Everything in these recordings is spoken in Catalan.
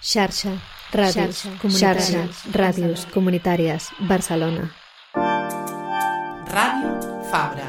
Xarxa, ràdios comunitàries, Barcelona. Ràdio Fabra.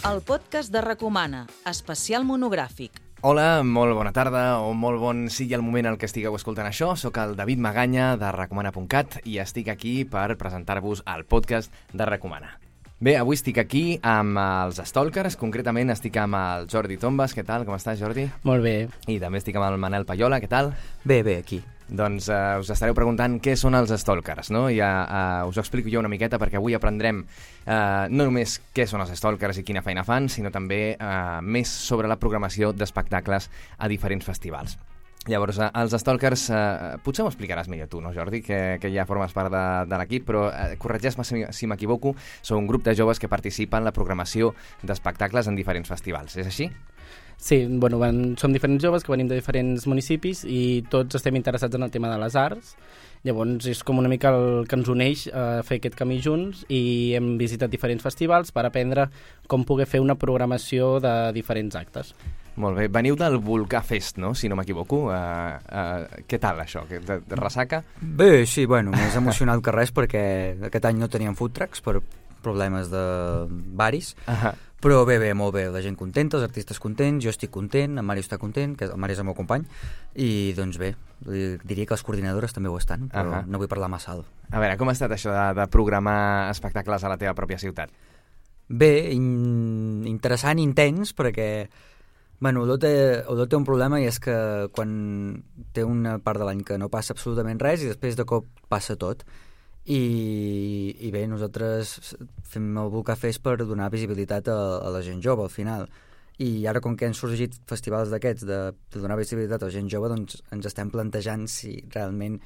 El podcast de Recomana, especial monogràfic. Hola, molt bona tarda o molt bon sigui el moment en què estigueu escoltant això. Soc el David Maganya de Recomana.cat i estic aquí per presentar-vos el podcast de Recomana. Bé, avui estic aquí amb els Stalkers, concretament estic amb el Jordi Tombas. Què tal? Com estàs, Jordi? Molt bé. I també estic amb el Manel Payola. Què tal? Bé, aquí. Doncs us estareu preguntant què són els Stalkers, no? Ja us ho explico jo una miqueta perquè avui aprendrem no només què són els Stalkers i quina feina fan, sinó també més sobre la programació d'espectacles a diferents festivals. Llavors, els Stalkers, potser m'ho explicaràs millor tu, no, Jordi, que ja formes part de l'equip, però corregeix-me si m'equivoco, són un grup de joves que participen en la programació d'espectacles en diferents festivals, és així? Sí, bueno, som diferents joves que venim de diferents municipis i tots estem interessats en el tema de les arts. Llavors és com una mica el que ens uneix a fer aquest camí junts i hem visitat diferents festivals per aprendre com poder fer una programació de diferents actes. Molt bé. Veniu del Volcà Fest, no?, si no m'equivoco. Què tal, això? De ressaca? Bé, sí, bueno, més emocionat que res perquè aquest any no teníem food trucks per problemes de baris. Però bé, molt bé, la gent contenta, els artistes contents, jo estic content, en Mario està content, que el Mario és el meu company, i doncs bé, diria que les coordinadores també ho estan, però no vull parlar massa alt. A veure, com ha estat això de programar espectacles a la teva pròpia ciutat? Bé, interessant i intens, perquè bueno, Olot té un problema i és que quan té una part de l'any que no passa absolutament res i després de cop passa tot. I bé, nosaltres fem el Volcà Fest per donar visibilitat a la gent jove al final, i ara com que han sorgit festivals d'aquests de donar visibilitat a la gent jove, doncs ens estem plantejant si realment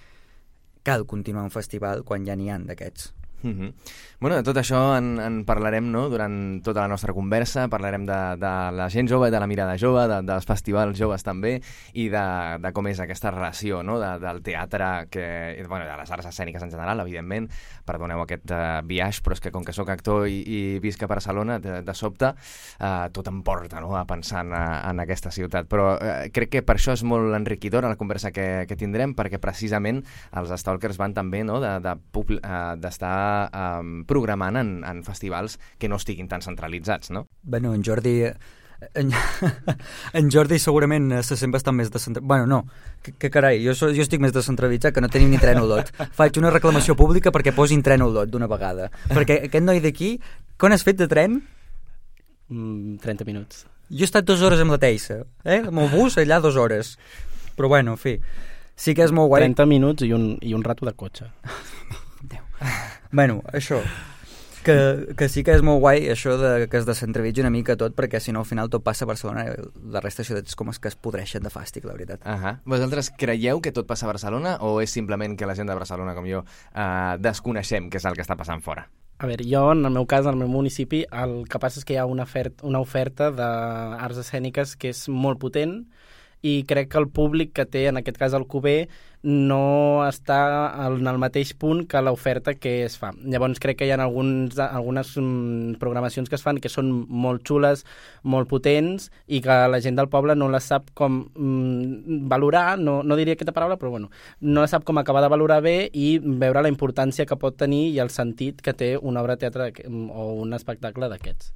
cal continuar un festival quan ja n'hi ha d'aquests. Bueno, de tot això en parlarem, no?, durant tota la nostra conversa. Parlarem de la gent jove, de la mirada jove, dels festivals joves també, i de com és aquesta relació, no?, del teatre, bueno, de les arts escèniques en general, evidentment. Perdoneu aquest biaix, però és que com que sóc actor i visc a Barcelona, de sobte tot em porta, no?, a pensar en aquesta ciutat. Però crec que per això és molt enriquidora la conversa que tindrem, perquè precisament els Stalkers van també, no?, d'estar programant en festivals que no estiguin tan centralitzats, no? Bueno, en Jordi segurament se sent bastant més descentralitzat. Bueno, no, que carai, jo estic més descentralitzat, que no tenim ni tren a Olot. Faig una reclamació pública perquè posin tren a Olot d'una vegada. Perquè aquest noi d'aquí, quan has fet de tren? 30 minuts. Jo he estat 2 hores amb la Teissa, amb el bus allà 2 hores. Però bueno, en fi, sí que és molt guai. 30 minuts i un rato de cotxe. Bueno, això, que sí que és molt guai això que es descentralitzi una mica tot, perquè si no al final tot passa a Barcelona i la resta de ciutats com és que es podreixen de fàstic, la veritat. Vosaltres creieu que tot passa a Barcelona o és simplement que la gent de Barcelona com jo desconeixem què és el que està passant fora? A veure, jo, en el meu cas, en el meu municipi, el que passa és que hi ha una oferta d'arts escèniques que és molt potent i crec que el públic que té, en aquest cas el Cuber, no està en el mateix punt que l'oferta que es fa. Llavors crec que hi ha algunes programacions que es fan que són molt xules, molt potents, i que la gent del poble no les sap com valorar, no diria aquesta paraula, però bueno, no sap com acabar de valorar bé i veure la importància que pot tenir i el sentit que té una obra de teatre o un espectacle d'aquests.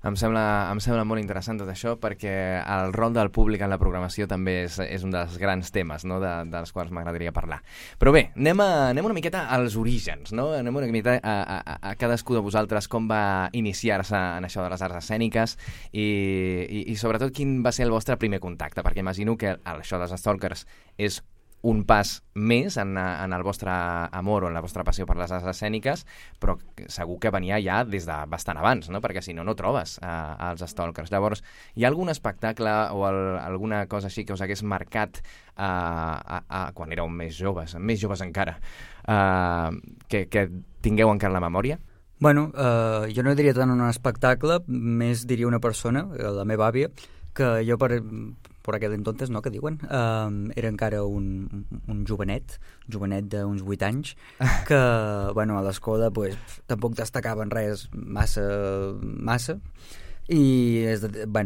Em sembla molt interessant tot això, perquè el rol del públic en la programació també és un dels grans temes, no?, dels quals m'agradaria parlar. Però bé, anem una miqueta als orígens, no? Anem una miqueta a cadascú de vosaltres com va iniciar-se en això de les arts escèniques i sobretot quin va ser el vostre primer contacte, perquè imagino que això dels Stalkers és un pas més en el vostre amor o en la vostra passió per les arts escèniques, però segur que venia ja des de bastant abans, no?, perquè si no, no trobes els Stalkers. Llavors, hi ha algun espectacle o alguna cosa així que us hagués marcat quan éreu més joves encara, que tingueu encara la memòria? Bueno, jo no diria tant un espectacle, més diria una persona, la meva àvia, que jo por aquell entonces, no?, que diuen. Era encara un jovenet d'uns 8 anys, que, bueno, a l'escola pues, tampoc destacava en res massa, i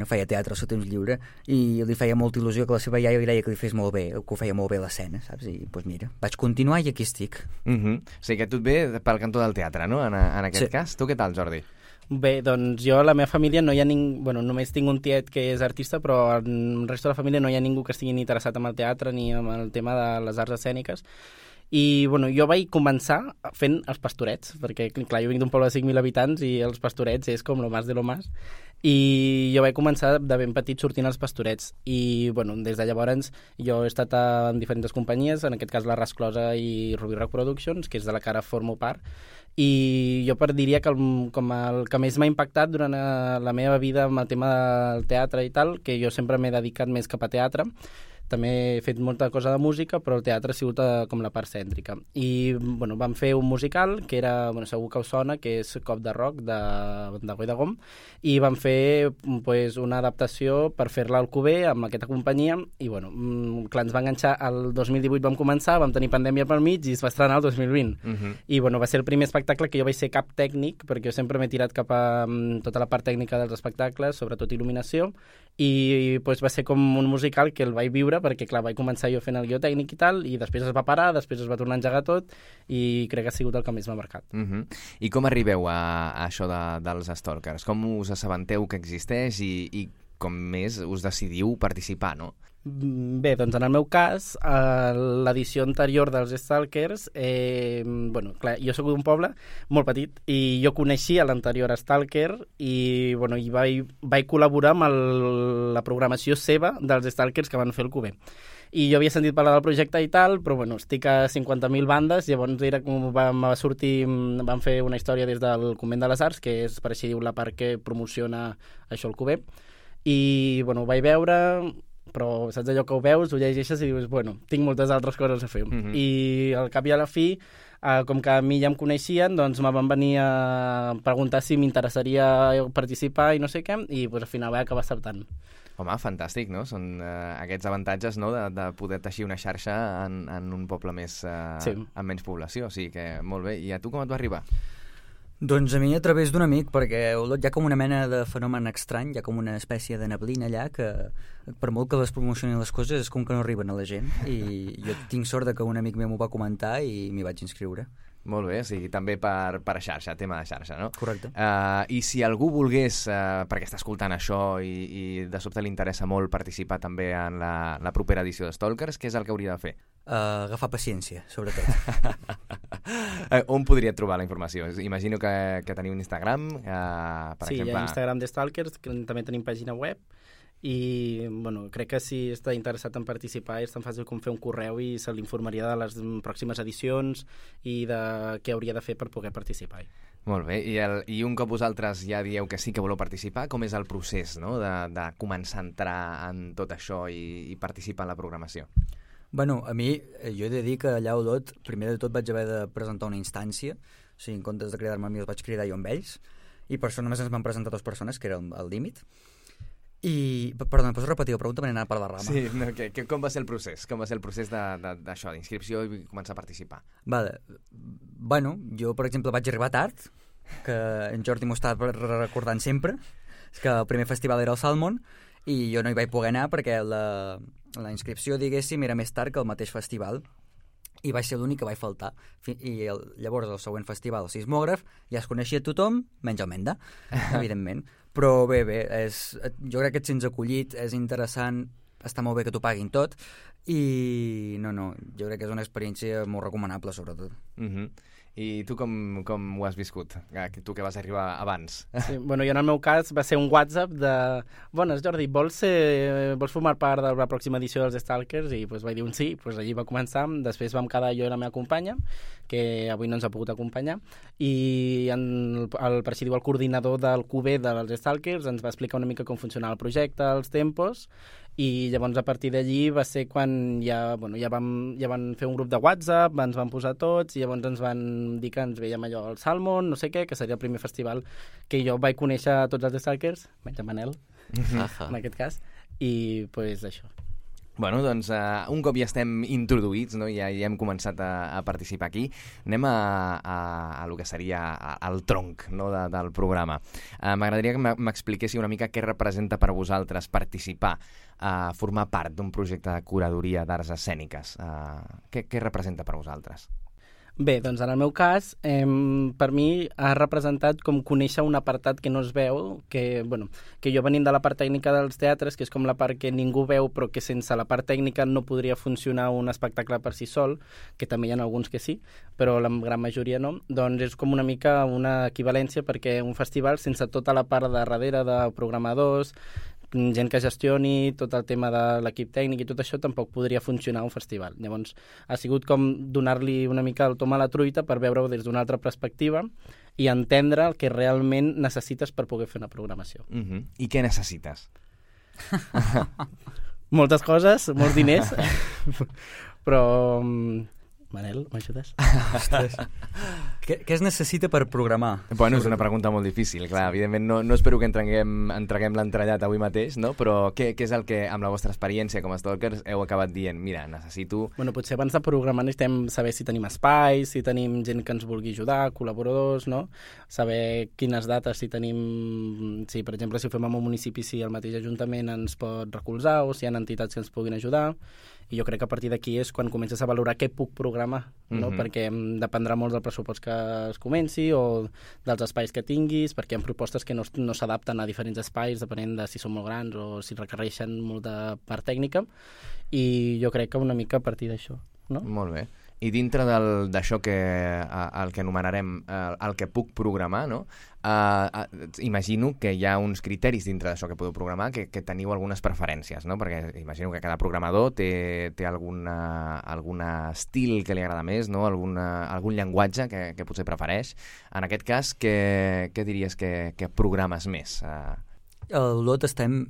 feia teatre al seu temps lliure i li feia molta il·lusió que la seva iaia li deia que li fes molt bé, que ho feia molt bé l'escena, saps? I doncs mira, vaig continuar i aquí estic. O sigui que tu et ve pel cantó del teatre, no?, en aquest cas. Tu què tal, Jordi? Bé, doncs jo, a la meva família, no hi ha bueno, només tinc un tiet que és artista, però el resto de la família no hi ha ningú que estigui ni interessat en el teatre ni en el tema de les arts escèniques. I bueno, jo vaig començar fent els pastorets, perquè clar, jo vinc d'un poble de 5.000 habitants i els pastorets és com lo más de lo más, i jo vaig començar de ben petit sortint als pastorets i bueno, des de llavors jo he estat en diferents companyies, en aquest cas la Rasclosa i Ruby Rock Productions, que és de la que ara formo part, i jo diria que com el que més m'ha impactat durant la meva vida amb el tema del teatre i tal, que jo sempre m'he dedicat més cap a teatre. També he fet molta cosa de música, però el teatre ha sigut com la part cèntrica. I bueno, vam fer un musical, que era, bueno, segur que us sona, que és Cop de Rock, de Goi de Gom, i vam fer pues, una adaptació per fer-la al Cuber amb aquesta companyia, i bueno, clar, ens va enganxar, el 2018 vam començar, vam tenir pandèmia pel mig i es va estrenar el 2020. I bueno, va ser el primer espectacle que jo vaig ser cap tècnic, perquè jo sempre m'he tirat cap a tota la part tècnica dels espectacles, sobretot il·luminació, i pues, va ser com un musical que el vaig viure perquè, clar, vaig començar jo fent el guió tècnic i tal, i després es va parar, després es va tornar a engegar tot, i crec que ha sigut el que més m'ha marcat. I com arribeu a això dels Stalkers? Com us assabenteu que existeix i com més us decidiu participar, no? Bé, doncs en el meu cas, l'edició anterior dels Stalkers, bueno, clar, jo soc d'un poble molt petit i jo coneixia l'anterior Stalker i, bueno, i vaig col·laborar amb la programació seva dels Stalkers que van fer el Cuber. I jo havia sentit parlar del projecte i tal, però bueno, estic a 50.000 bandes, llavors era com va sortir, vam fer una història des del Convent de les Arts, que és, per així diu, la part que promociona això el Cuber, i bueno, ho vaig veure, però saps allò que ho veus, ho llegeixes i dius, bueno, tinc moltes altres coses a fer. I al cap i a la fi, com que a mi ja em coneixien, doncs me van venir a preguntar si m'interessaria participar i no sé què, i pues, al final vaig acabar acceptant. Home, fantàstic, no? Són aquests avantatges, no?, de poder teixir una xarxa en un poble més amb menys població, o sigui que molt bé. I a tu com et va arribar? Doncs a mi a través d'un amic, perquè hi ha com una mena de fenomen estrany, hi ha com una espècie de neblina allà que per molt que les promocionin les coses és com que no arriben a la gent, i jo tinc sort de que un amic meu m'ho va comentar i m'hi vaig inscriure. Molt bé, o sigui, també per xarxa, tema de xarxa, no? Correcte. I si algú volgués, perquè està escoltant això i de sobte li interessa molt participar també en la propera edició de Stalkers, què és el que hauria de fer? Agafar paciència, sobretot. On podria trobar la informació? Imagino que teniu un Instagram, per exemple... Sí, hi ha Instagram de Stalkers, que també tenim pàgina web, i bueno, crec que si està interessat en participar és tan fàcil com fer un correu i se l'informaria de les pròximes edicions i de què hauria de fer per poder participar. Molt bé, i un cop vosaltres ja dieu que sí que voleu participar, com és el procés, no?, de començar a entrar en tot això i participar en la programació? Bueno, a mi, jo he de dir que allà a Olot, primer de tot vaig haver de presentar una instància, o sigui, en comptes de cridar-me a mi els vaig cridar jo amb ells, i per això només ens van presentar 2 persones, que era el límit. I, perdona, pots repetir la pregunta? M'he anat per la rama. Sí, no, com va ser el procés? Com va ser el procés d'això, d'inscripció i començar a participar? Vale. Bueno, jo, per exemple, vaig arribar tard, que en Jordi m'ho està recordant sempre, que el primer festival era el Salmon, i jo no hi vaig poder anar perquè la inscripció, diguéssim, era més tard que el mateix festival, i vaig ser l'únic que vaig faltar. I llavors el següent festival, el Sismògraf, ja es coneixia tothom, menys el Menda, evidentment. Però bé, jo crec que et sents acollit, és interessant, està molt bé que t'ho paguin tot, i no, jo crec que és una experiència molt recomanable, sobretot. I tu com ho has viscut? Tu que vas arribar abans. Sí, bueno, jo en el meu cas va ser un WhatsApp de bones, Jordi, vols formar part de la pròxima edició dels Stalkers? I pues, vaig dir un sí, pues, allí va començar. Després vam quedar jo i la meva companya, que avui no ens ha pogut acompanyar, i per així diu, el coordinador del QB dels Stalkers ens va explicar una mica com funcionava el projecte, els tempos, i llavors a partir d'allí va ser quan ja van fer un grup de WhatsApp, ens van posar tots i llavors ens van dir que ens veiem allò al Salmon, no sé què, que seria el primer festival que jo vaig conèixer a tots els Stalkers, menys a Manel, en aquest cas, i pues això. Bueno, doncs un cop ja estem introduïts, no? Ja hem començat a participar aquí, anem a lo que seria el tronc, no? del programa. M'agradaria que m'expliquéssiu una mica què representa per vosaltres participar, formar part d'un projecte de curadoria d'arts escèniques. Què representa per vosaltres? Bé, doncs en el meu cas, per mi ha representat com conèixer un apartat que no es veu, que jo venint de la part tècnica dels teatres, que és com la part que ningú veu, però que sense la part tècnica no podria funcionar un espectacle per si sol, que també hi ha alguns que sí, però la gran majoria no, doncs és com una mica una equivalència, perquè un festival, sense tota la part de darrere de programadors, gent que gestioni tot el tema de l'equip tècnic i tot això, tampoc podria funcionar un festival. Llavors, ha sigut com donar-li una mica el tom a la truita per veure-ho des d'una altra perspectiva i entendre el que realment necessites per poder fer una programació. I què necessites? Moltes coses, molts diners, però... Manel, m'ajudes? Què es necessita per programar? Bueno, és una pregunta molt difícil, clar. Evidentment no espero que entreguem l'entrellat avui mateix, no? Però què és el que, amb la vostra experiència com a stalkers, heu acabat dient? Mira, necessito... Bueno, potser abans de programar necessitem saber si tenim espais, si tenim gent que ens vulgui ajudar, col·laboradors, no? Saber quines dates, si tenim... Si, per exemple, si ho fem en un municipi, si el mateix ajuntament ens pot recolzar o si hi ha entitats que ens puguin ajudar. I jo crec que a partir d'aquí és quan comences a valorar què puc programar, no? Perquè dependrà molt del pressupost que es comenci o dels espais que tinguis, perquè hi ha propostes que no s'adapten a diferents espais, depenent de si són molt grans o si requereixen molta part tècnica, i jo crec que una mica a partir d'això, no? Molt bé. I dintre d'això el que anomenarem el que puc programar, no? Imagino que hi ha uns criteris dintre d'això que podeu programar que teniu algunes preferències, no? Perquè imagino que cada programador té algun estil que li agrada més, no? Algun llenguatge que potser prefereix. En aquest cas, què diries que programes més? L'Olot estem,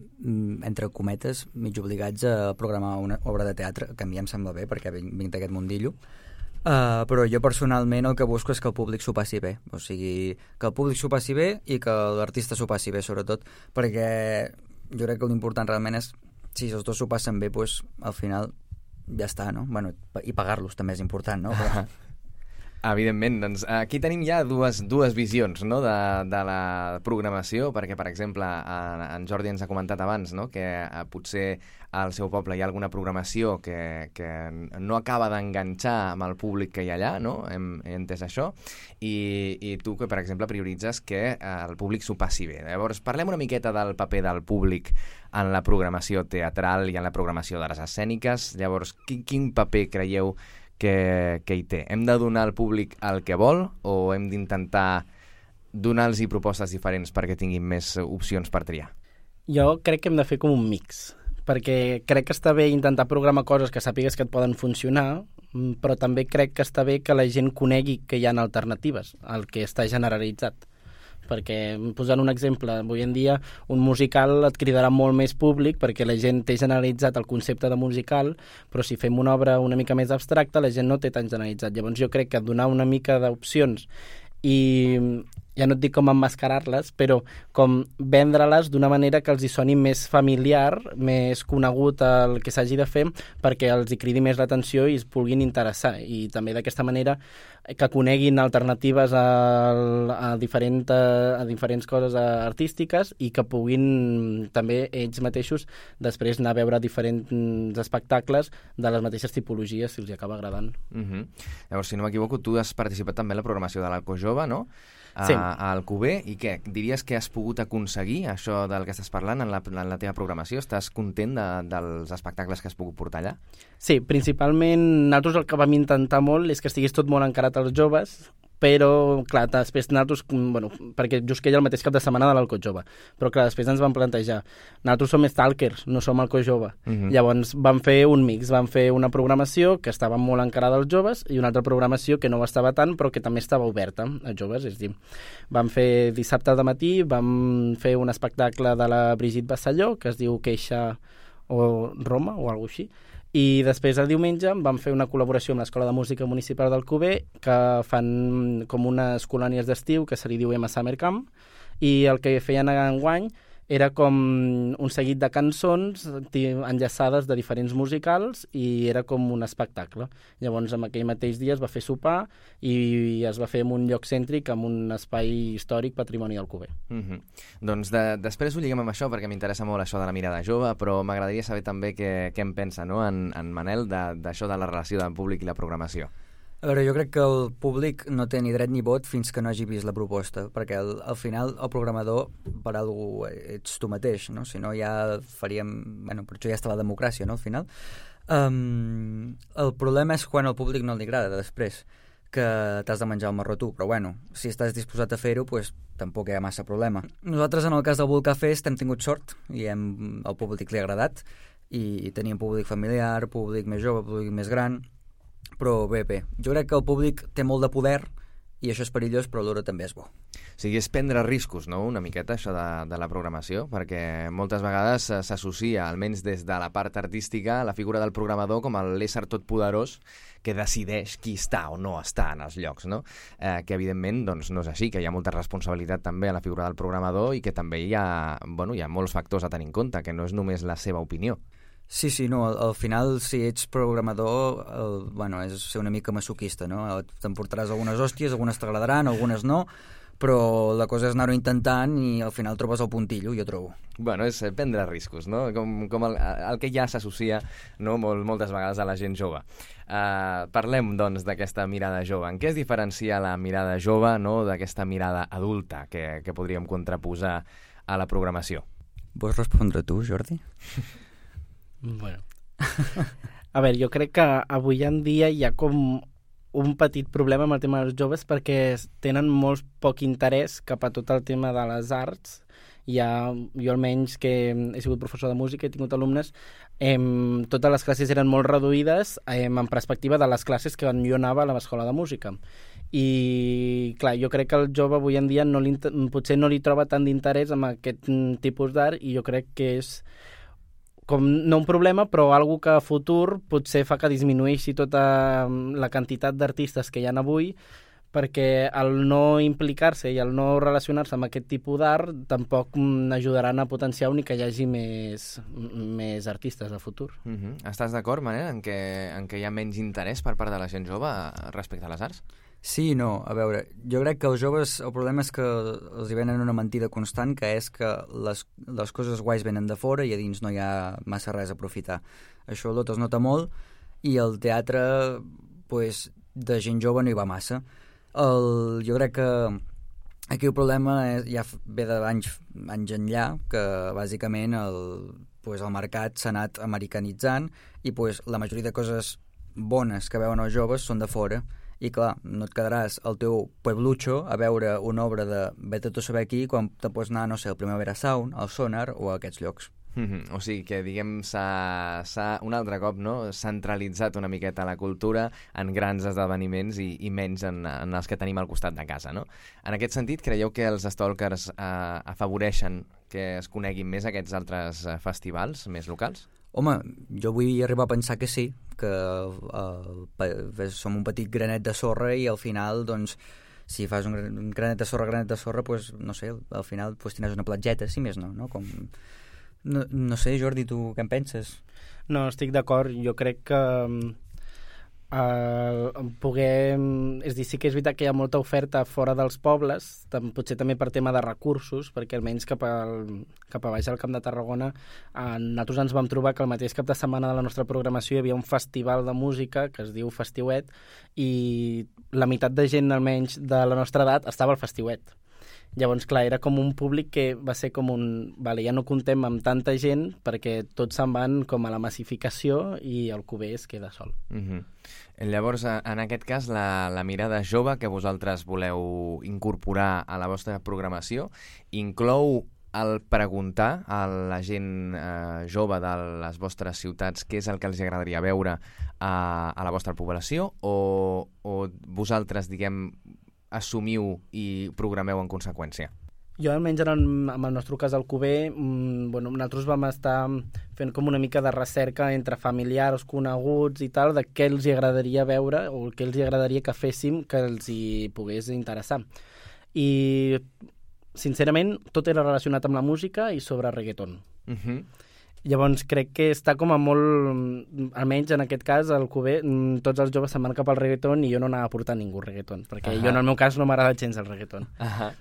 entre cometes, mig obligats a programar una obra de teatre, que a mi em sembla bé, perquè vinc d'aquest mundillo. Però jo personalment el que busco és que el públic s'ho passi bé. O sigui, que el públic s'ho passi bé i que l'artista s'ho passi bé, sobretot, perquè jo crec que l'important realment és, si els dos s'ho passen bé, doncs al final ja està, no? Bueno, i pagar-los també és important, no? Però... Evidentment, doncs aquí tenim ja dues visions, no? de la programació, perquè per exemple en Jordi ens ha comentat abans, no? Que potser al seu poble hi ha alguna programació que no acaba d'enganxar amb el públic que hi ha allà, no? Hem entès això, i tu que per exemple prioritzes que el públic s'ho passi bé. Llavors parlem una miqueta del paper del públic en la programació teatral i en la programació d'arts escèniques. Llavors, quin paper creieu que hi té? Hem de donar al públic el que vol o hem d'intentar donar-los propostes diferents perquè tinguin més opcions per triar? Jo crec que hem de fer com un mix, perquè crec que està bé intentar programar coses que sàpigues que et poden funcionar, però també crec que està bé que la gent conegui que hi ha alternatives al que està generalitzat. Perquè, posant un exemple, avui en dia un musical et cridarà molt més públic perquè la gent té generalitzat el concepte de musical, però si fem una obra una mica més abstracta la gent no té tan generalitzat. Llavors jo crec que donar una mica d'opcions i ja no et dic com emmascarar-les, però com vendre-les d'una manera que els hi soni més familiar, més conegut el que s'hagi de fer, perquè els hi cridi més l'atenció i es vulguin interessar. I també d'aquesta manera que coneguin alternatives a diferents coses artístiques i que puguin també ells mateixos després anar a veure diferents espectacles de les mateixes tipologies si els hi acaba agradant. Llavors, si no m'equivoco, tu has participat també en la programació de l'Alcojove, no? Sí. A Alcover, i què? Diries que has pogut aconseguir això del que estàs parlant en la teva programació? Estàs content dels espectacles que has pogut portar allà? Sí, principalment nosaltres el que vam intentar molt és que estigués tot molt encarat als joves, però, clar, després nosaltres, perquè just que hi ha el mateix cap de setmana de l'Alcojove, però clar, després ens vam plantejar, nosaltres som stalkers, no som Alcojove. Llavors vam fer un mix, vam fer una programació que estava molt encarada als joves i una altra programació que no ho estava tant, però que també estava oberta als joves, és a dir, vam fer dissabte de matí, vam fer un espectacle de la Brigitte Bassalló, que es diu Queixa o Roma, o alguna cosa així, i després el diumenge vam fer una col·laboració amb l'Escola de Música Municipal d'Alcover, que fan com unes colònies d'estiu que se li diu Summer Camp, i el que feien enguany era com un seguit de cançons enllaçades de diferents musicals i era com un espectacle. Llavors, en aquell mateix dia es va fer sopar i es va fer en un lloc cèntric, en un espai històric patrimoni d'Alcover. Doncs després ho lliguem amb això, perquè m'interessa molt això de la mirada jove, però m'agradaria saber també què en pensa, no? en Manel, d'això de la relació del públic i la programació. A veure, jo crec que el públic no té ni dret ni vot fins que no hagi vist la proposta, perquè al final el programador per algú ets tu mateix, no? Si no ja faríem... Bueno, per això ja està la democràcia, no?, al final. El problema és quan al públic no li agrada després, que t'has de menjar el marró tu, però bueno, si estàs disposat a fer-ho, pues, tampoc hi ha massa problema. Nosaltres, en el cas del Volcà Fest, hem tingut sort i al públic li ha agradat, i teníem públic familiar, públic més jove, públic més gran... Però bé, jo crec que el públic té molt de poder i això és perillós, però alhora també és bo. O sigui, és prendre riscos, no?, una miqueta, això de la programació, perquè moltes vegades s'associa, almenys des de la part artística, la figura del programador com l'ésser totpoderós que decideix qui està o no està en els llocs, no? Que evidentment doncs, no és així, que hi ha molta responsabilitat també a la figura del programador i que també hi ha molts factors a tenir en compte, que no és només la seva opinió. Sí, no, al final, si ets programador, és ser una mica masoquista, no? T'emportaràs algunes hòsties, algunes t'agradaran, algunes no, però la cosa és anar-ho intentant i al final trobes el puntillo, jo trobo. Bueno, és prendre riscos, no? Com el que ja s'associa, no?, moltes vegades a la gent jove. Parlem, doncs, d'aquesta mirada jove. En què es diferencia la mirada jove, no?, d'aquesta mirada adulta que podríem contraposar a la programació? Vols respondre tu, Jordi? Bueno. A veure, jo crec que avui en dia hi ha com un petit problema amb el tema dels joves perquè tenen molt poc interès cap a tot el tema de les arts. Jo almenys que he sigut professor de música, he tingut alumnes, totes les classes eren molt reduïdes en perspectiva de les classes que jo anava a l'escola de música. I clar, jo crec que el jove avui en dia potser no li troba tant d'interès en aquest tipus d'art i jo crec que és com no un problema, però algo que a futur potser fa que disminueixi tota la quantitat d'artistes que hi ha avui, perquè el no implicar-se i el no relacionar-se amb aquest tipus d'art tampoc ajudaran a potenciar ni que hi hagi més artistes a futur. Estàs d'acord, Manel, en què hi ha menys interès per part de la gent jove respecte a les arts? Sí i no. A veure, jo crec que els joves el problema és que els hi venen una mentida constant, que és que les coses guais venen de fora i a dins no hi ha massa res a aprofitar. Això tot es nota molt i el teatre, pues, de gent jove no hi va massa. Jo crec que aquí el problema ja ve d'anys enllà, que bàsicament el mercat s'ha anat americanitzant i la majoria de coses bones que veuen els joves són de fora. I clar, no et quedaràs al teu pueblucho a veure una obra de vete tu a saber aquí quan te pots anar, no sé, al Primavera Sound, al Sonar o a aquests llocs. O sigui que, diguem, s'ha un altre cop, no?, centralitzat una miqueta la cultura en grans esdeveniments i menys en els que tenim al costat de casa, no? En aquest sentit, creieu que els stalkers afavoreixen que es coneguin més aquests altres festivals més locals? Home, jo vull arribar a pensar que sí, que som un petit granet de sorra i al final, doncs, si fas un granet de sorra, doncs, no sé, al final tindràs una platgeta, si més no, no? No sé, Jordi, tu què en penses? No, estic d'acord. Jo crec que és dir, sí que és veritat que hi ha molta oferta fora dels pobles, potser també per tema de recursos, perquè almenys cap a baix al Camp de Tarragona nosaltres ens vam trobar que el mateix cap de setmana de la nostra programació hi havia un festival de música que es diu Festiuet i la meitat de gent almenys de la nostra edat estava al Festiuet. Llavors, clar, era com un públic que va ser com ja no comptem amb tanta gent perquè tots se'n van com a la massificació i el Cuber es queda sol. Llavors, en aquest cas, la mirada jove que vosaltres voleu incorporar a la vostra programació inclou el preguntar a la gent jove de les vostres ciutats què és el que els agradaria veure a la vostra població o vosaltres, diguem, assumiu i programeu en conseqüència? Jo, almenys amb el nostre cas al Cuber, nosaltres vam estar fent com una mica de recerca entre familiars, coneguts i tal, de què els agradaria veure o què els agradaria que féssim que els hi pogués interessar. I sincerament, tot era relacionat amb la música i sobre reggaeton. Llavors crec que està com a molt, almenys en aquest cas, al Cuber, tots els joves se'n van cap al reggaeton i jo no anava a portar ningú reggaeton, perquè jo en el meu cas no m'agrada gens el reggaeton.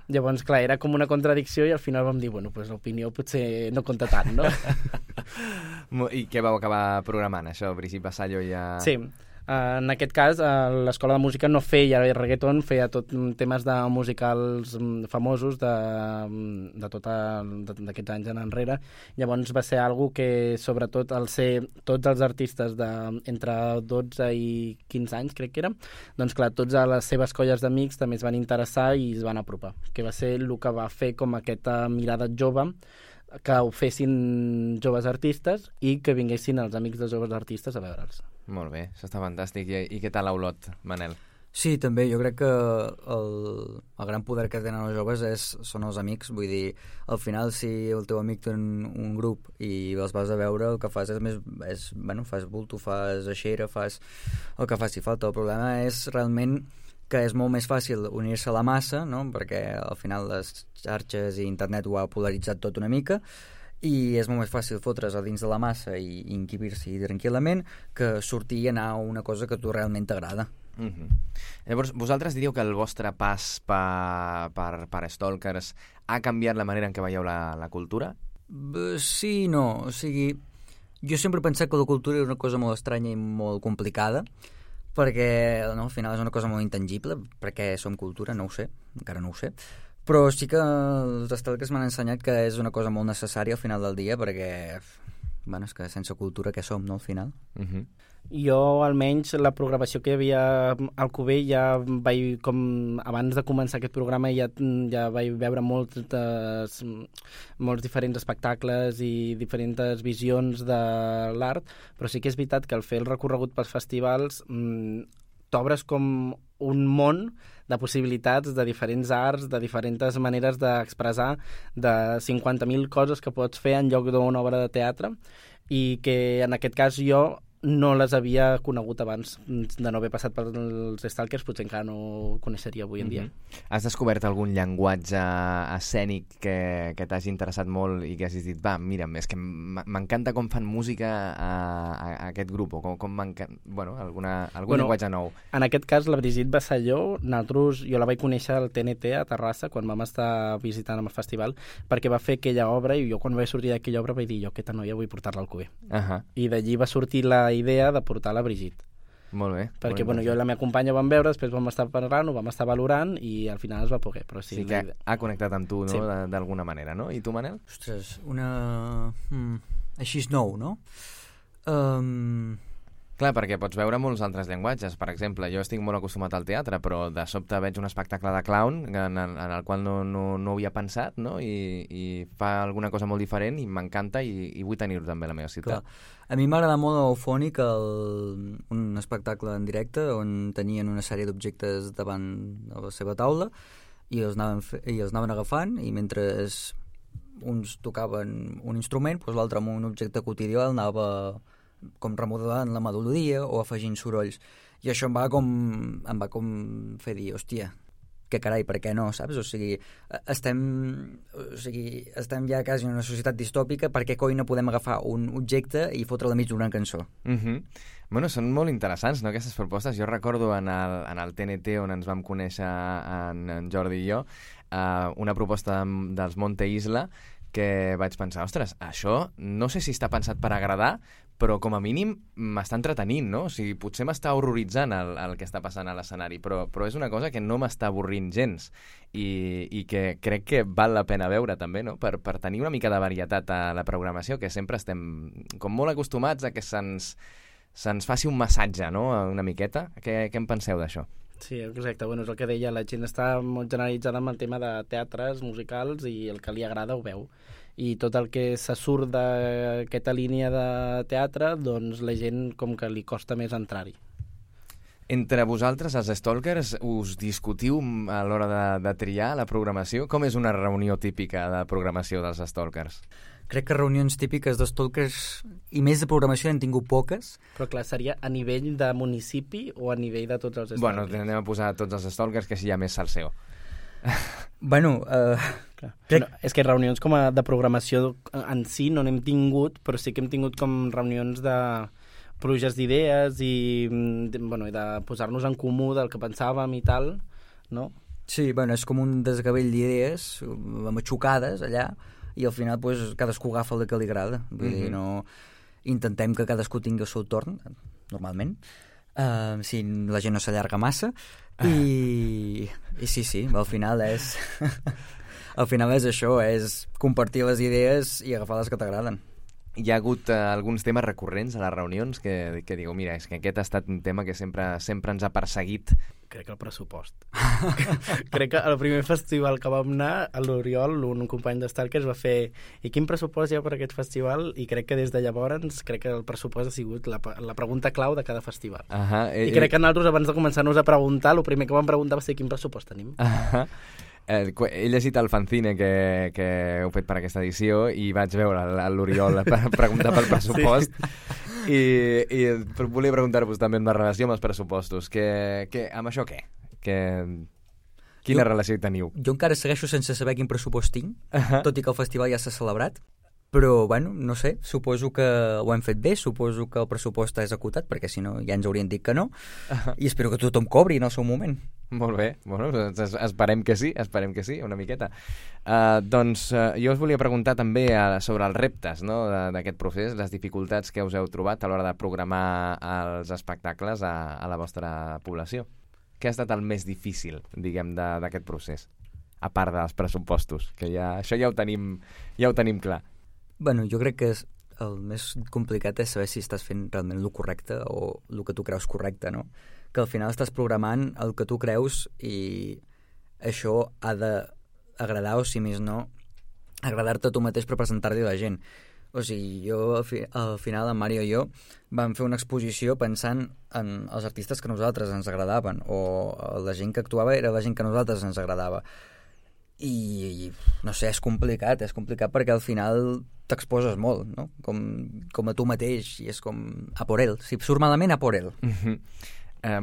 Llavors, clar, era com una contradicció i al final vam dir, bueno, pues l'opinió potser no compta tant, no? I què vau acabar programant, això? Brigitte Vasallo ja... Sí. En aquest cas, l'Escola de Música no feia reggaeton, feia tot temes de musicals famosos d'aquests anys en enrere. Llavors va ser algo que, sobretot, al ser tots els artistes entre 12 i 15 anys, crec que era, doncs clar, tots a les seves colles d'amics també es van interessar i es van apropar, que va ser el que va fer com aquesta mirada jove, que ho fessin joves artistes i que vinguessin els amics dels joves artistes a veure'ls. Molt bé, això està fantàstic. I què tal a Olot, Manel? Sí, també, jo crec que el gran poder que tenen els joves són els amics, vull dir, al final si el teu amic té un grup i els vas a veure, el que fas fas bulto, fas aixera, fas el que faci falta. El problema és realment que és molt més fàcil unir-se a la massa, no? Perquè al final les xarxes i internet ho ha polaritzat tot una mica, i és molt més fàcil fotre's a dins de la massa i inquibir-s'hi tranquil·lament que sortir i anar a una cosa que a tu realment t'agrada. Llavors, vosaltres diríeu que el vostre pas per Stalkers ha canviat la manera en què veieu la cultura? Sí i no. O sigui, jo sempre he pensat que la cultura és una cosa molt estranya i molt complicada, perquè al final és una cosa molt intangible, perquè som cultura, no ho sé, encara no ho sé. Però sí que els Stalkers m'han ensenyat que és una cosa molt necessària al final del dia, perquè, és que sense cultura què som, no, al final? Jo, almenys, la programació que hi havia al Cuber ja vaig, com abans de començar aquest programa, ja vaig veure molts diferents espectacles i diferents visions de l'art, però sí que és veritat que al fer el recorregut pels festivals t'obres com un món de possibilitats, de diferents arts, de diferents maneres d'expressar, de 50.000 coses que pots fer en lloc d'una obra de teatre, i que en aquest cas jo no les havia conegut abans de no haver passat pels Stalkers, potser encara no ho coneixeria avui en dia. Has descobert algun llenguatge escènic que t'hagi interessat molt i que hagis dit, mira, és que m'encanta com fan música a aquest grup, o com m'encanta... algun llenguatge nou. En aquest cas, la Brigitte Vasallo, jo la vaig conèixer al TNT a Terrassa, quan vam estar visitant el festival, perquè va fer aquella obra, i jo quan vaig sortir d'aquella obra vaig dir, jo aquesta noia vull portar-la al Cuber. I d'allí va sortir la idea de portar la Brigitte. Molt bé. Perquè jo i la meva companya vam veure, després vam estar parlant, ho vam estar valorant i al final es va poder. Però sí que ha connectat amb tu, no? Sí. D'alguna manera, no? I tu, Manel? Ostres, així és nou, no? Clar, perquè pots veure molts altres llenguatges. Per exemple, jo estic molt acostumat al teatre, però de sobte veig un espectacle de clown en el qual no havia pensat, no? I fa alguna cosa molt diferent i m'encanta i vull tenir-ho també a la meva ciutat. Clar. A mi m'agrada molt Eufònic, un espectacle en directe on tenien una sèrie d'objectes davant de la seva taula i els anaven agafant, i mentre uns tocaven un instrument, doncs l'altre amb un objecte quotidià el anava com remodelant la melodia o afegint sorolls, i això em va com fer dir, hòstia, que carai, per què no, saps? O sigui, estem ja quasi en una societat distòpica, per què coi no podem agafar un objecte i fotre-la mig d'una cançó? Bueno, són molt interessants, no, aquestes propostes. Jo recordo en el TNT, on ens vam conèixer en Jordi i jo, una proposta dels Monte Isla, que vaig pensar, ostres, això no sé si està pensat per agradar, però com a mínim m'està entretenint, no? O sigui, potser m'està horroritzant el que està passant a l'escenari, però és una cosa que no m'està avorrint gens i que crec que val la pena veure també, no? Per tenir una mica de varietat a la programació, que sempre estem com molt acostumats a que se'ns faci un massatge, no? Una miqueta. Què en penseu d'això? Sí, exacte. Bueno, és el que deia, la gent està molt generalitzada amb el tema de teatres, musicals, i el que li agrada ho veu. I tot el que se surt d'aquesta línia de teatre, doncs la gent com que li costa més entrar-hi. Entre vosaltres, els Stalkers, us discutiu a l'hora de triar la programació? Com és una reunió típica de programació dels Stalkers? Crec que reunions típiques de Stalkers i més de programació n'hem tingut poques. Però clar, seria a nivell de municipi o a nivell de tots els Stalkers? Bueno, anem a posar tots els Stalkers, que així hi ha més salseo. Bueno, No, és que reunions com a de programació en si no n'hem tingut, però sí que hem tingut com reunions de pluges d'idees i de posar-nos en comú del que pensàvem i tal, no? sí, bueno, és com un desgavell d'idees matxucades allà i al final pues, cadascú agafa el que li agrada. Vull dir, no... Intentem que cadascú tingui el seu torn, normalment, si la gent no s'allarga massa, i sí, al final és... Al final és això, és compartir les idees i agafar les que t'agraden. Hi ha hagut alguns temes recurrents a les reunions que digueu, mira, és que aquest ha estat un tema que sempre ens ha perseguit. Crec que el pressupost. Crec que el primer festival que vam anar, a l'Oriol, un company d'Stalkers, va fer i quin pressupost hi ha per aquest festival? I crec que des de llavors, crec que el pressupost ha sigut la pregunta clau de cada festival. I crec que nosaltres, abans de començar-nos a preguntar, el primer que vam preguntar va ser quin pressupost tenim. He llegit el fanzine que heu fet per aquesta edició i vaig veure l'Oriol preguntar pel pressupost i volia preguntar-vos també en la relació amb els pressupostos. Amb això què? Quina relació hi teniu? Jo encara segueixo sense saber quin pressupost tinc, tot i que el festival ja s'ha celebrat, però, bueno, no sé, suposo que ho hem fet bé, suposo que el pressupost és acotat, perquè si no ja ens haurien dit que no, i espero que tothom cobri en el seu moment. Molt bé, bueno, esperem que sí, una miqueta. Doncs jo us volia preguntar també sobre els reptes, no, d'aquest procés, les dificultats que us heu trobat a l'hora de programar els espectacles a la vostra població. Què ha estat el més difícil, diguem, d'aquest procés? A part dels pressupostos, que això ja ho tenim clar. Bueno, jo crec que el més complicat és saber si estàs fent realment el correcte o el que tu creus correcte, no? Que al final estàs programant el que tu creus i això ha d'agradar, o si més no, agradar-te a tu mateix per presentar-li a la gent. O sigui, jo al final, en Mario i jo vam fer una exposició pensant en els artistes que a nosaltres ens agradaven o la gent que actuava era la gent que a nosaltres ens agradava. I no sé, és complicat perquè al final t'exposes molt, no? Com a tu mateix, i és com a por ell, si surt malament a por ell.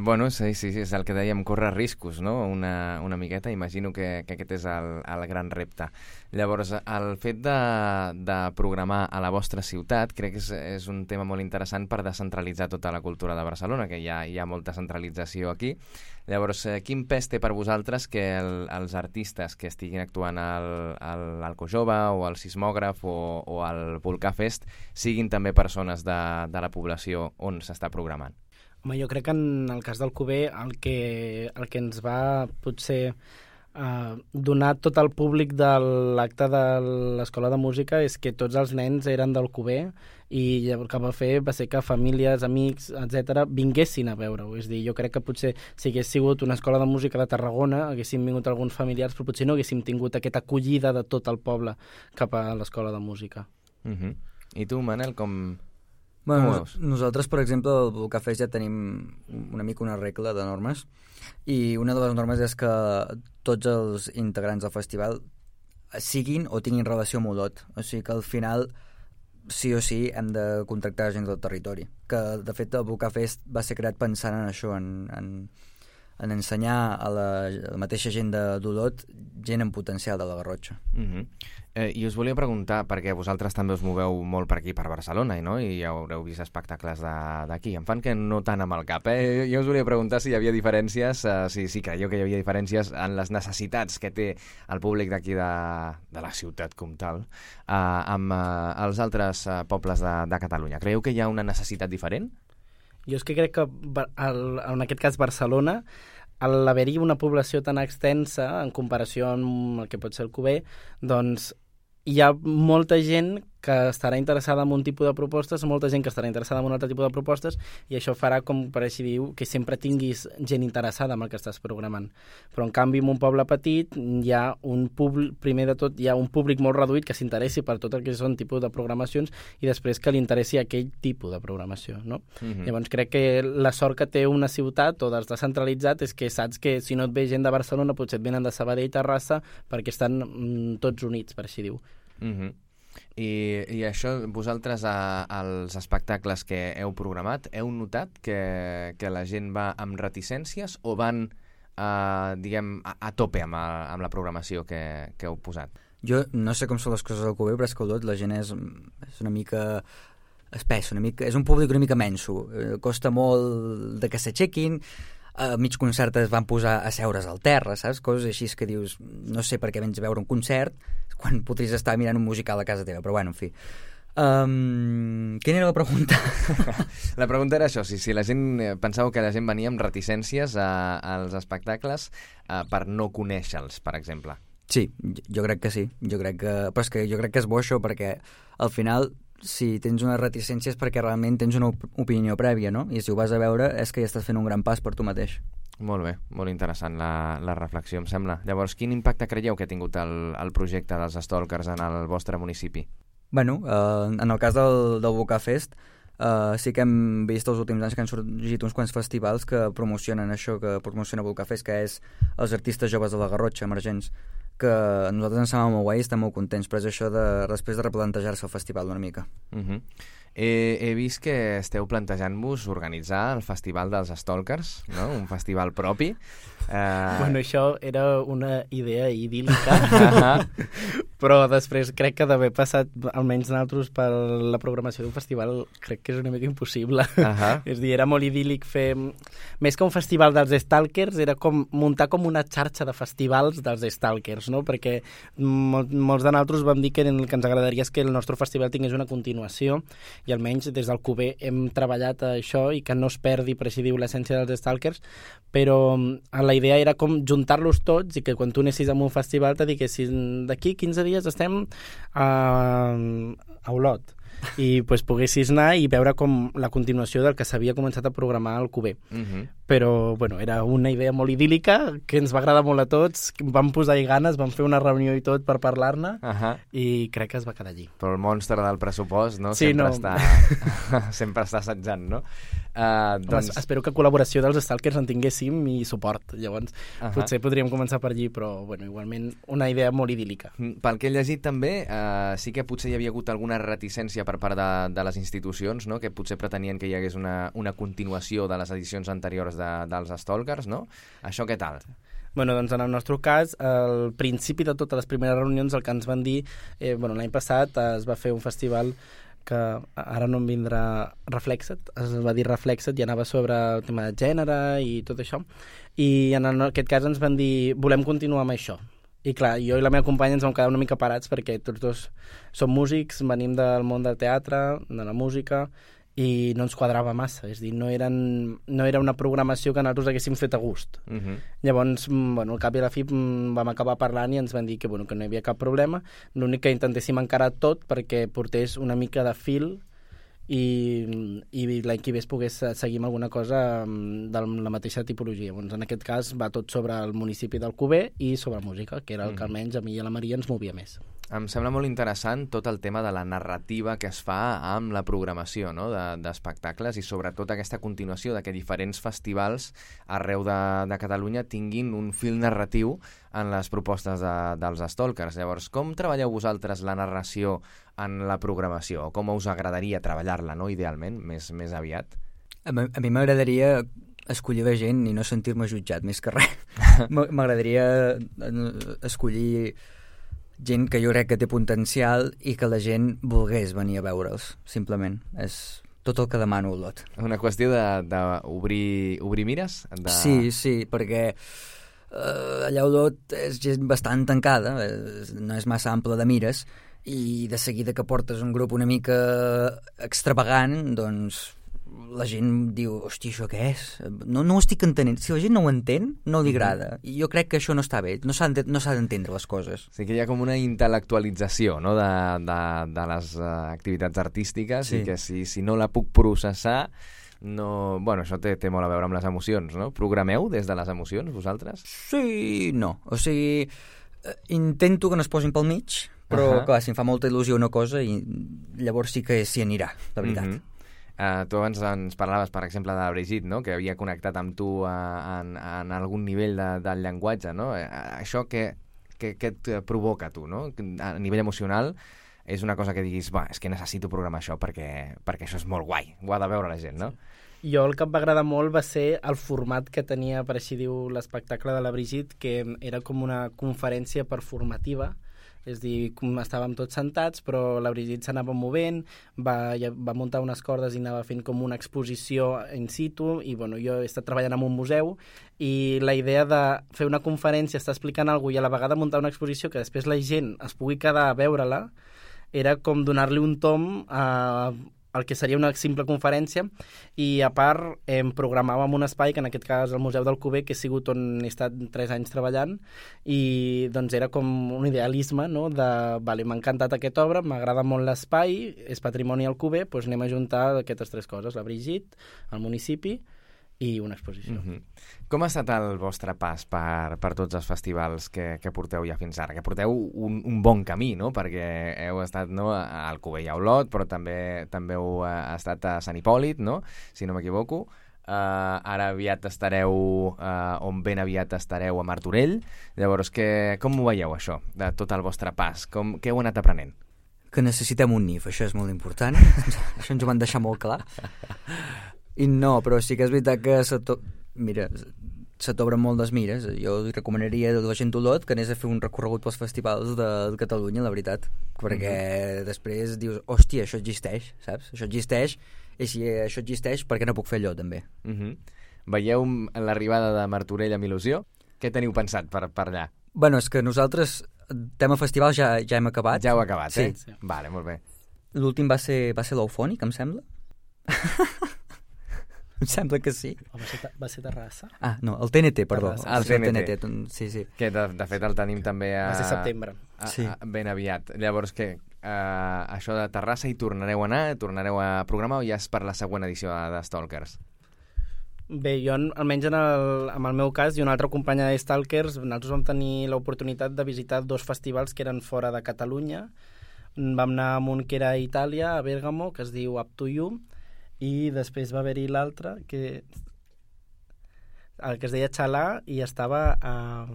Bueno, sí, és el que dèiem, córrer riscos, no? Una miqueta, imagino que aquest és el gran repte. Llavors, el fet de programar a la vostra ciutat crec que és un tema molt interessant per descentralitzar tota la cultura de Barcelona, que hi ha molta centralització aquí. Llavors, quin pes té per vosaltres que els artistes que estiguin actuant al Alcojove o al Sismògraf o al Volcà Fest siguin també persones de la població on s'està programant? Home, jo crec que en el cas del Cuber el que ens va potser donar tot el públic de l'acte de l'Escola de Música és que tots els nens eren del Cuber i el que va fer va ser que famílies, amics, etc vinguessin a veure-ho. És a dir, jo crec que potser si hagués sigut una escola de música de Tarragona haguessin vingut alguns familiars, però potser no haguéssim tingut aquesta acollida de tot el poble cap a l'Escola de Música. I tu, Manel, com... Bueno, nosaltres, per exemple, al Volcà Fest ja tenim una mica una regla de normes i una de les normes és que tots els integrants del festival siguin o tinguin relació amb Olot. O sigui que al final sí o sí hem de contractar gent del territori. Que, de fet, el Volcà Fest va ser creat pensant en això, en ensenyar a la mateixa gent d'Olot gent amb potencial de la Garrotxa. I us volia preguntar, perquè vosaltres també us moveu molt per aquí, per Barcelona, no? I ja haureu vist espectacles d'aquí. Em fan que no tant amb el cap, Jo us volia preguntar si hi havia diferències, si creieu que hi havia diferències en les necessitats que té el públic d'aquí de la ciutat com tal, amb els altres pobles de Catalunya. Creieu que hi ha una necessitat diferent? Jo és que crec que en aquest cas Barcelona, al haver-hi una població tan extensa en comparació amb el que pot ser el Cuber, doncs hi ha molta gent que estarà interessada en un tipus de propostes, molta gent que estarà interessada en un altre tipus de propostes, i això farà, com per així dir, que sempre tinguis gent interessada en el que estàs programant. Però, en canvi, en un poble petit hi ha un públic, primer de tot, hi ha un públic molt reduït que s'interessi per tot el que són tipus de programacions i després que li interessi aquell tipus de programació, no? Llavors, crec que la sort que té una ciutat o d'estar centralitzat és que saps que si no et ve gent de Barcelona potser et venen de Sabadell, Terrassa, perquè estan tots units, per així dir-ho. I això, vosaltres als espectacles que heu programat, heu notat que la gent va amb reticències o van diguem, a tope amb la programació que heu posat? Jo no sé com són les coses al Cuber, però és que Olot la gent és una mica espessa, és un públic una mica menso. Costa molt de que s'aixequin, a mig concert es van posar a seure's al terra, saps? Coses així que dius, no sé per què vens a veure un concert quan podries estar mirant un musical a casa teva, però bueno, en fi. Quina era la pregunta? La pregunta era això, si la gent pensava que la gent venia amb reticències als espectacles per no conèixer-los, per exemple. Sí, jo crec que sí. Però és que jo crec que és bo això, perquè al final, si tens una reticència és perquè realment tens una opinió prèvia, no? I si ho vas a veure és que ja estàs fent un gran pas per tu mateix. Molt bé, molt interessant la reflexió, em sembla. Llavors, quin impacte creieu que ha tingut el projecte dels Stalkers en el vostre municipi? Bueno, en el cas del Vocafest, sí que hem vist els últims anys que han sorgit uns quants festivals que promocionen això que promociona Vocafest, que és els artistes joves de la Garrotxa, emergents, que a nosaltres ens sembla molt guai i estem molt contents, però és això després de replantejar-se el festival una mica. He vist que esteu plantejant-vos organitzar el Festival dels Stalkers, no? Un festival propi. Bueno, això era una idea idíl·lica, però després crec que d'haver passat, almenys nosaltres, per la programació d'un festival, crec que és una mica impossible. És a dir, era molt idíl·lic fer... Més que un festival dels Stalkers, era com muntar com una xarxa de festivals dels Stalkers, no? Perquè molts de nosaltres vam dir que el que ens agradaria és que el nostre festival tingués una continuació, i almenys des del QB hem treballat a això i que no es perdi, per així diu, l'essència dels Stalkers, però la idea era com juntar-los tots i que quan tu anessis a un festival te diguessin d'aquí 15 dies estem a Olot i pues, poguessis anar i veure com la continuació del que s'havia començat a programar al QB. Però bueno, era una idea molt idíl·lica que ens va agradar molt a tots, vam posar-hi ganes, vam fer una reunió i tot per parlar-ne i crec que es va quedar allí. Però el monstre del pressupost, no? Sí, sempre està assetjant, no? Doncs... Espero que col·laboració dels Stalkers en tinguéssim i suport, llavors potser podríem començar per allí, però bueno, igualment una idea molt idíl·lica. Pel que he llegit també, sí que potser hi havia hagut alguna reticència per part de les institucions, no? Que potser pretenien que hi hagués una continuació de les edicions anteriors dels Stalkers, no? Això què tal? Bueno, doncs en el nostre cas, al principi de totes les primeres reunions el que ens van dir, l'any passat es va fer un festival que ara no em vindrà Reflexet, es va dir Reflexet i anava sobre el tema de gènere i tot això, i en aquest cas ens van dir volem continuar amb això. I clar, jo i la meva companya ens vam quedar una mica parats perquè tots dos som músics, venim del món del teatre, de la música, i no ens quadrava massa, és a dir, no era una programació que nosaltres haguéssim fet a gust. Llavors, al cap i a la fi vam acabar parlant i ens van dir que no hi havia cap problema, l'únic que intentéssim encarar tot perquè portés una mica de fil i l'any que ve es pogués seguir amb alguna cosa de la mateixa tipologia. Llavors, en aquest cas va tot sobre el municipi del Cuber i sobre música, que era el que almenys a mi i a la Maria ens movia més. Em sembla molt interessant tot el tema de la narrativa que es fa amb la programació, no? d'espectacles i sobretot aquesta continuació de que diferents festivals arreu de Catalunya tinguin un fil narratiu en les propostes dels Stalkers. Llavors, com treballeu vosaltres la narració en la programació? Com us agradaria treballar-la, no? Idealment, més aviat? A mi m'agradaria escollir la gent i no sentir-me jutjat, més que res. M'agradaria escollir gent que jo crec que té potencial i que la gent volgués venir a veure'ls, simplement. És tot el que demano, Olot. Una qüestió d'obrir mires? Sí, perquè allà Olot és gent bastant tancada, no és massa ample de mires, i de seguida que portes un grup una mica extravagant, doncs la gent diu, hòstia, això què és? No ho estic entenent. Si la gent no ho entén, no li agrada. I jo crec que això no està bé, no s'ha d'entendre les coses. Sí que hi ha com una intel·lectualització, no? de les activitats artístiques, i que si no la puc processar, no... Bueno, això té molt a veure amb les emocions, no? Programeu des de les emocions, vosaltres? Sí, no. O sigui, intento que no es posin pel mig, però clar, si em fa molta il·lusió una cosa, i llavors sí que s'hi anirà, la veritat. Tu abans ens parlaves, per exemple, de la Brigitte, no? Que havia connectat amb tu en algun nivell del llenguatge, no? Això què et provoca, tu, no? A nivell emocional és una cosa que diguis, és que necessito programar això perquè això és molt guai, ho ha de veure la gent, no? Jo el que em va agradar molt va ser el format que tenia, per així diu, l'espectacle de la Brigitte, que era com una conferència performativa, és a dir, estàvem tots sentats, però la Brigitte s'anava movent, va muntar unes cordes i anava fent com una exposició in situ, i bueno, jo he estat treballant en un museu, i la idea de fer una conferència, estar explicant alguna cosa i a la vegada muntar una exposició que després la gent es pugui quedar a veure-la, era com donar-li un tom el que seria una simple conferència, i a part programàvem un espai, que en aquest cas el Museu del Cuber, que ha sigut on he estat 3 anys treballant, i doncs era com un idealisme, no? Vale, m'ha encantat aquesta obra, m'agrada molt l'espai, és patrimoni al Cuber, doncs anem a juntar aquestes 3 coses, la Brigitte, el municipi i una exposició. Com ha estat el vostre pas per tots els festivals que porteu ja fins ara? Que porteu un bon camí, no? Perquè heu estat al Cuber i a Olot, però també heu estat a Sant Hipòlit, no? Si no m'equivoco. Ara aviat estareu, ben aviat estareu a Martorell. Llavors, com ho veieu, això, de tot el vostre pas? Què heu anat aprenent? Que necessitem un NIF, això és molt important. Això ens ho van deixar molt clar. I no, però sí que és veritat que se t'obren moltes mires. Jo li recomanaria a la gent d'Olot que anés a fer un recorregut pels festivals de Catalunya, la veritat, perquè després dius, hòstia, això existeix, saps? Això existeix, i si això existeix, per què no puc fer allò, també? Veieu l'arribada de Martorell amb il·lusió? Què teniu pensat per allà? Bueno, és que nosaltres, tema festival, ja hem acabat. Ja heu acabat, sí. Sí. Vale, molt bé. L'últim va ser l'Eufònic, em sembla. Em sembla que sí. Va ser Terrassa? Ah, no, el TNT, perdó. El TNT. Sí. Que de fet el tenim també Va ser setembre. Ben aviat. Llavors, això de Terrassa hi tornareu a anar? Tornareu a programar o ja és per la següent edició de Stalkers? Bé, jo, almenys en el meu cas, i una altra companya de Stalkers, nosaltres vam tenir l'oportunitat de visitar 2 festivals que eren fora de Catalunya. Vam anar a un que era a Itàlia, a Bèrgamo, que es diu Up to You, i després va haver-hi l'altre el que es deia Xalà, i estava a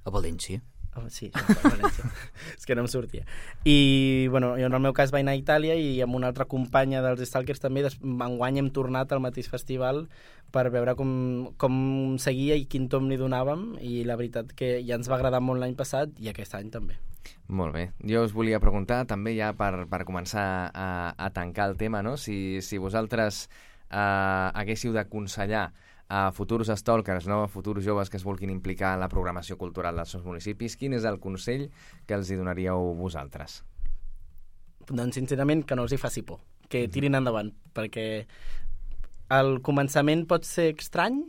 València. Sí, a València. És que no em sortia. I bueno, jo en el meu cas vaig anar a Itàlia, i amb una altra companya dels Stalkers també enguany hem tornat al mateix festival per veure com seguia i quin tom li donàvem, i la veritat que ja ens va agradar molt l'any passat i aquest any també. Molt bé. Jo us volia preguntar també ja per començar a tancar el tema, no? Si vosaltres haguéssiu d'aconsellar a futurs stalkers, no? A futurs joves que es vulguin implicar en la programació cultural dels seus municipis, quin és el consell que els hi donaríeu vosaltres? Doncs sincerament que no els hi faci por, que tirin endavant, perquè el començament pot ser estrany,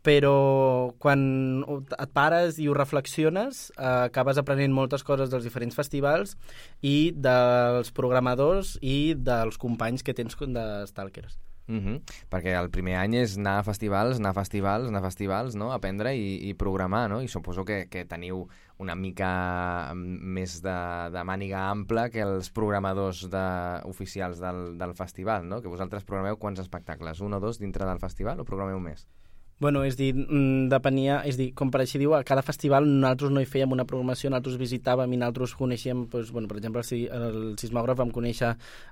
però quan et pares i ho reflexiones acabes aprenent moltes coses dels diferents festivals i dels programadors i dels companys que tens de Stalkers. Perquè el primer any és anar a festivals, no? Aprendre i programar, no? I suposo que teniu una mica més de màniga ampla que els programadors oficials del festival, no? Que vosaltres programeu quants espectacles? 1 o 2 dintre del festival o programeu més? Bueno, és dir, depenia, és dir, com per així diu, a cada festival nosaltres no hi fèiem una programació, nosaltres visitàvem i nosaltres coneixíem, doncs, bueno, per exemple, el sismògraf vam conèixer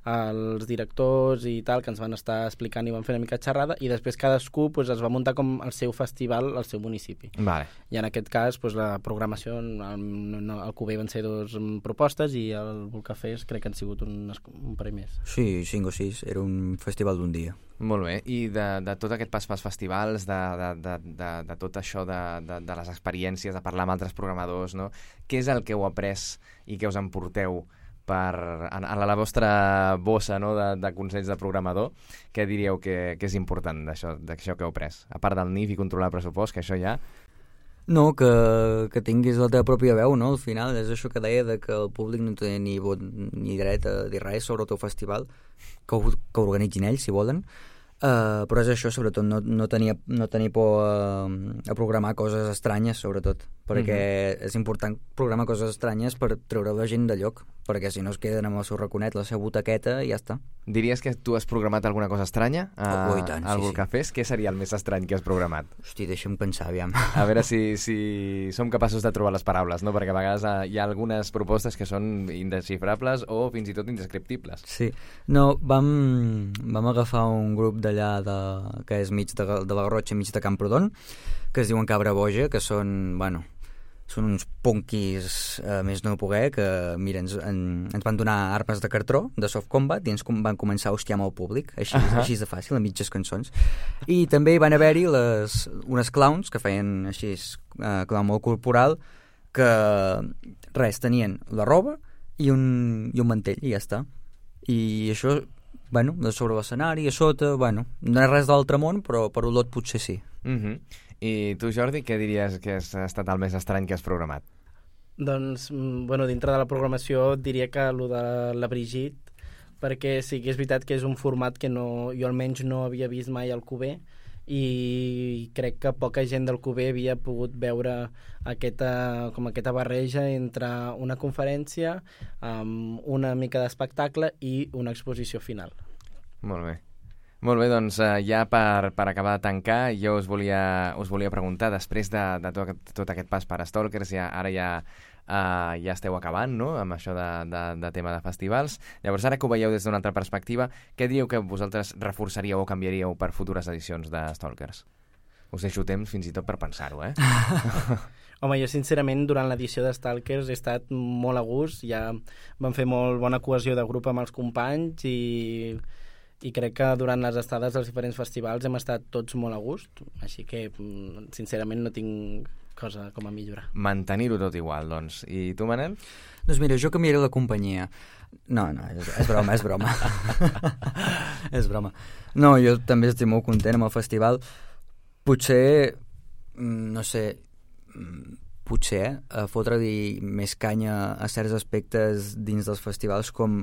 els directors i tal, que ens van estar explicant i van fer una mica xerrada, i després cadascú doncs, es va muntar com el seu festival al seu municipi. Vale. I en aquest cas, doncs, la programació, el Cuber van ser 2 propostes i el Volcafés crec que han sigut un parell més. Sí, 5 o 6, era un festival d'un dia. Molt bé, i de tot aquest pas pels festivals, de tot això de les experiències, de parlar amb altres programadors, no? Què és el que heu après i que us emporteu a la vostra bossa, no? de consells de programador? Què diríeu que és important d'això que heu après? A part del NIF i controlar el pressupost, que això ja... No, que tinguis la teva pròpia veu, no? Al final és això que deia, de que el públic no té ni vot ni dret a dir res sobre el teu festival, que ho organitzin ells, si volen, però és això, sobretot, no tenir por a programar coses estranyes, sobretot, perquè és important programar coses estranyes per treure la gent de lloc, perquè si no es queden amb el seu raconet, la seva butaqueta, i ja està. Diries que tu has programat alguna cosa estranya i tant, al sí, Volcafés? Què seria el més estrany que has programat? Hosti, deixa'm pensar, aviam. A veure si som capaços de trobar les paraules, no? Perquè a vegades hi ha algunes propostes que són indesxifrables o fins i tot indescriptibles. Sí. No, vam agafar un grup de d'allà, que és mig de la Garrotxa, mig de Camprodon, que es diuen Cabra Boja, que són, bueno, són uns punquis més no poder, que mira, ens van donar armes de cartró, de soft combat, i ens van començar a hostiar amb el públic, així de fàcil, a mitges cançons. I també van haver-hi unes clowns que feien així, clown molt corporal, que res, tenien la roba i un mantell, i ja està. I això, bueno, de sobre l'escenari, a sota, bueno, no és res d'altre món, però per olot potser sí. I tu, Jordi, què diries que ha estat el més estrany que has programat? Doncs, bueno, dintre de la programació diria que el de la Brigitte, perquè sí que és veritat que és un format que jo almenys no havia vist mai al QB, i crec que poca gent del QB havia pogut veure aquesta barreja entre una conferència, una mica d'espectacle i una exposició final. Molt bé. Molt bé, doncs ja per acabar de tancar, jo us volia preguntar, després de tot aquest pas per Stalkers, ara ja esteu acabant, no?, amb això de tema de festivals. Llavors, ara que ho veieu des d'una altra perspectiva, què diríeu que vosaltres reforçaríeu o canviaríeu per futures edicions de Stalkers? Us deixo temps fins i tot per pensar-ho, Home, jo sincerament durant l'edició de Stalkers he estat molt a gust, ja vam fer molt bona cohesió de grup amb els companys i crec que durant les estades dels diferents festivals hem estat tots molt a gust, així que sincerament no tinc cosa com a millorar. Mantenir-ho tot igual, doncs. I tu, Manel? Doncs mira, jo canviaré la companyia. No, és broma, és broma. És broma. No, jo també estic molt content amb el festival. Potser, no sé, fotre-li més canya a certs aspectes dins dels festivals com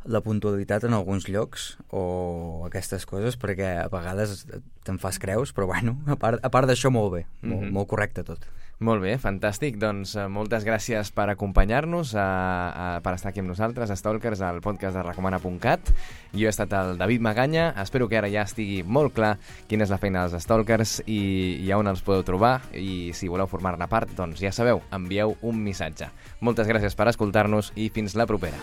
la puntualitat en alguns llocs o aquestes coses, perquè a vegades te'n fas creus, però bueno, a part d'això molt bé, molt correcte tot. Molt bé, fantàstic. Doncs moltes gràcies per acompanyar-nos, per estar aquí amb nosaltres, a Stalkers, al podcast de recomana.cat. Jo he estat el David Maganya, espero que ara ja estigui molt clar quina és la feina dels Stalkers i on els podeu trobar, i si voleu formar-ne part, doncs ja sabeu, envieu un missatge. Moltes gràcies per escoltar-nos i fins la propera.